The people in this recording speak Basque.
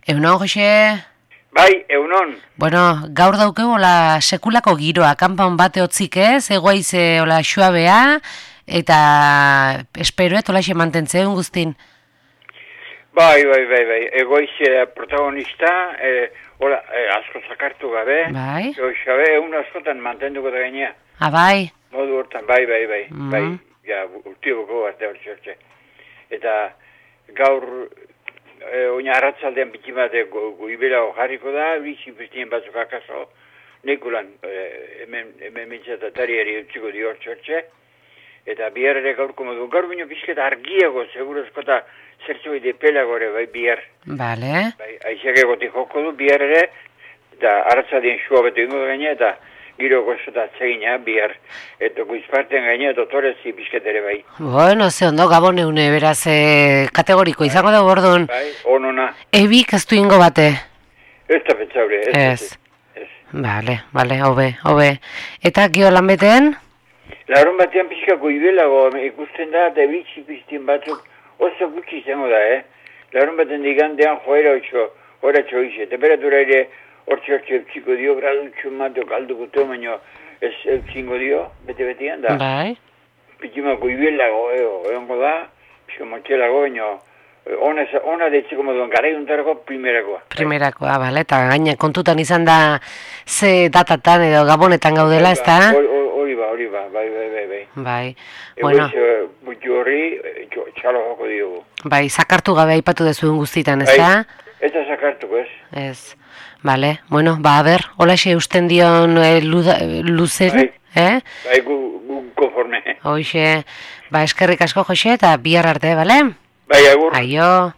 Egunon, Jose? Bai, egunon. Bueno, gaur daukegu la sekulako giroa, kanpan bate hotzik ez, egoiz hola xuabea, eta esperoet hola xe mantentzen guztin. Bai, egoiz protagonista, hola, asko zakartu gabe. Bai. Xabe, egun askotan mantenduko da gainea. Ah, bai. Modu hortan, bai, ja, urtioboko bat hortxe. Eta gaur, oina arratzaldean biti bat goibela jarriko da, bizi bestien batzuk akaso, nekulan, hemen mitzatatariari utziko di hortxe, eta bihar ere gaurko modu. Gaur bino bizketa argiago, seguro eskota, zertzu ide pelagore, bai, bihar. Bale. Bai, aiziak egotik joko du, bihar ere, eta arratzaldien xua betu ingo da gaine, eta giro gozota atzegina, bihar. Eta guizparten gaine, dotorezi bizketere bai. Bueno, ze ondo, Gabon eune, beraz, kategoriko izango da bordun. Bai, onona. Ebik ez du ingo bate. Ez da petzaure, ez. Bale, hobe. Eta gio lan beten? Larun batean pixka goibelago ikusten da, eta ebik piztien batzuk oso gutxi izango da, Larun baten digandean joera txoize. Temperatura ere hortxe eutxiko dio, gradutxo mateo kalduko teo, baina ez eutxingo dio, bete-betean da. Bai. Pitzima goibelago, egongo da, pixka motxelago, baina ona deitzeko moduan, garaiuntarako primerakoa. Bale, eta gaina kontutan izan da ze datatan edo gabonetan gaudela, ez da? Hori ba, bai. Bai, bueno. Egoiz, buti horri, txalo joko diogu. Bai, zakartu gabe aipatu dezuen guztitan, ez da? Ez da zakartuko, ez? Ez, bale, bueno, ba, a ber, holaxe usten dion luzen, Bai, gu konforme. Hoxe, ba, eskerrik asko, Jose, eta bihar arte, bale? Bai, agur. Aio.